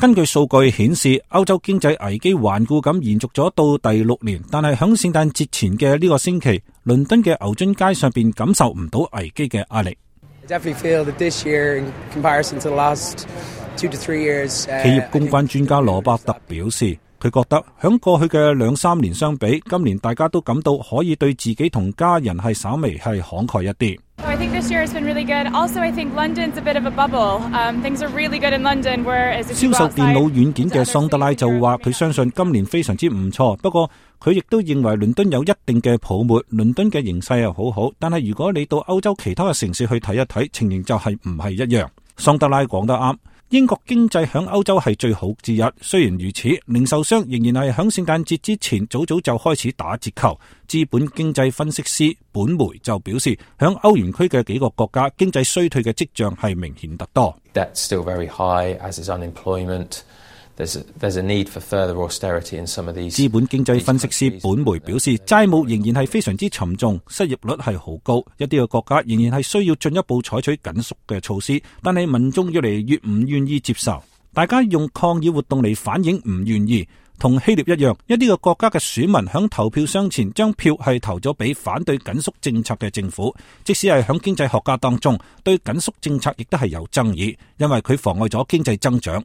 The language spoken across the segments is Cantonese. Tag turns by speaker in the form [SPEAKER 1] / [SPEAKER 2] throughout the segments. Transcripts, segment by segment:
[SPEAKER 1] 根據數據顯示，歐洲經濟危機頑固咁延續咗到第6年，但係響聖誕節前嘅呢個星期，倫敦嘅牛津街上邊感受唔到危機嘅壓力。企業公關專家羅伯特表示，佢覺得響過去嘅2-3年相比，今年大家都感到可以對自己同家人係稍微係慷慨一啲。
[SPEAKER 2] I think this year has been really good. Also, I think London's a bit of a bubble. Things are really good in London, whereas if you go outside... 銷售電腦軟件嘅桑德拉就話佢相信今年非常之唔錯，不過佢亦都認為倫敦有一定嘅泡沫，倫敦嘅形勢又好好，但係如果你到歐洲其他嘅城市去睇一睇，情形就係唔係一樣。桑德拉講得啱。英國經濟響歐洲係最好之一，雖然如此，零售商仍然係響聖誕節之前早就開始打折扣。資本經濟分析師本梅就表示，響歐元區嘅幾個國家經濟衰退嘅跡象係明顯得多。
[SPEAKER 3] That's still very high, as is unemployment. There's a need for further austerity in some of these.
[SPEAKER 1] 資本經濟分析師本梅表示，債務仍然係非常之沉重，失業率係好高，一啲嘅國家仍然係需要進一步採取緊縮嘅措施，但係民眾越嚟越唔願意接受，大家用抗議活動嚟反映唔願意。同希臘一樣，一啲嘅國家嘅選民響投票箱前將票係投咗俾反對緊縮政策嘅政府，即使係響經濟學家當中，對緊縮政策亦都係有爭議，因為佢妨礙咗經濟增長。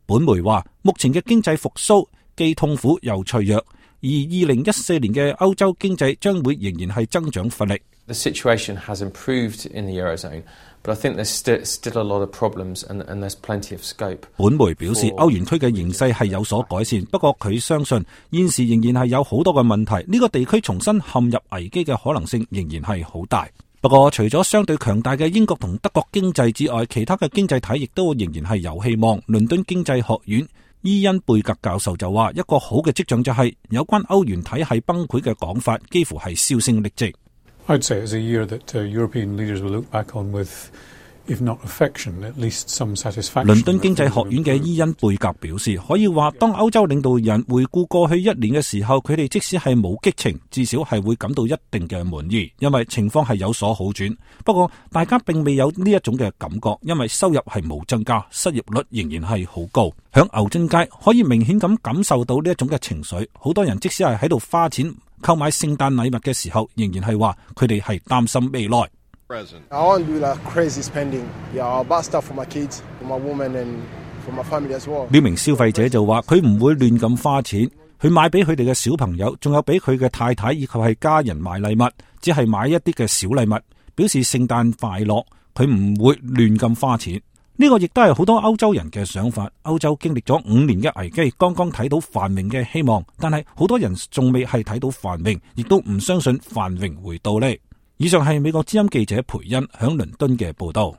[SPEAKER 1] 本梅話，目前嘅經濟復甦既痛苦又脆弱，而2014年嘅歐洲經濟將會仍然係增長乏力。
[SPEAKER 3] The situation has improved in the Eurozone, but I think there's still a lot of problems and there's plenty of scope.
[SPEAKER 1] 本梅表示，歐元區嘅形勢係有所改善，不過佢相信現時仍然係有好多嘅問題，呢個地區重新陷入危機嘅可能性仍然係好大。不過除咗相對強大嘅英國同德國經濟之外，其他嘅經濟體亦都仍然係有希望。倫敦經濟學院伊恩貝格教授就話，一個好嘅跡象就係有關歐元體系崩潰嘅講法幾乎係銷聲匿跡。
[SPEAKER 4] I'd say it's a year that European leaders will look back on with, if not affection, at least some satisfaction.
[SPEAKER 1] 倫敦經濟學院嘅伊恩貝格表示，可以話當歐洲領導人回顧過去1年嘅時候，佢哋即使係冇激情，至少係會感到一定嘅滿意，因為情況係有所好轉。不過大家並未有呢一種嘅感覺，因為收入係冇增加，失業率仍然係好高。響牛津街可以明顯咁感受到呢一種嘅情緒，好多人即使係喺度花錢購買聖誕禮物嘅時候，仍然係話佢哋係擔心未來。
[SPEAKER 5] I won't do like crazy spending. Yeah, I'll buy stuff for my kids, for my woman and for my family as well.
[SPEAKER 1] 呢名消費者就話佢唔會亂咁花錢，佢買俾佢哋嘅小朋友，仲有俾佢嘅太太以及係家人買禮物，只係買一啲嘅小禮物，表示聖誕快樂。佢唔會亂咁花錢。呢個亦都係好多歐洲人嘅想法。歐洲經歷咗5年嘅危機，剛剛睇到繁榮嘅希望，但係好多人仲未係睇到繁榮，亦都唔相信繁榮會到嚟。以上係美國之音記者培恩響倫敦嘅報道。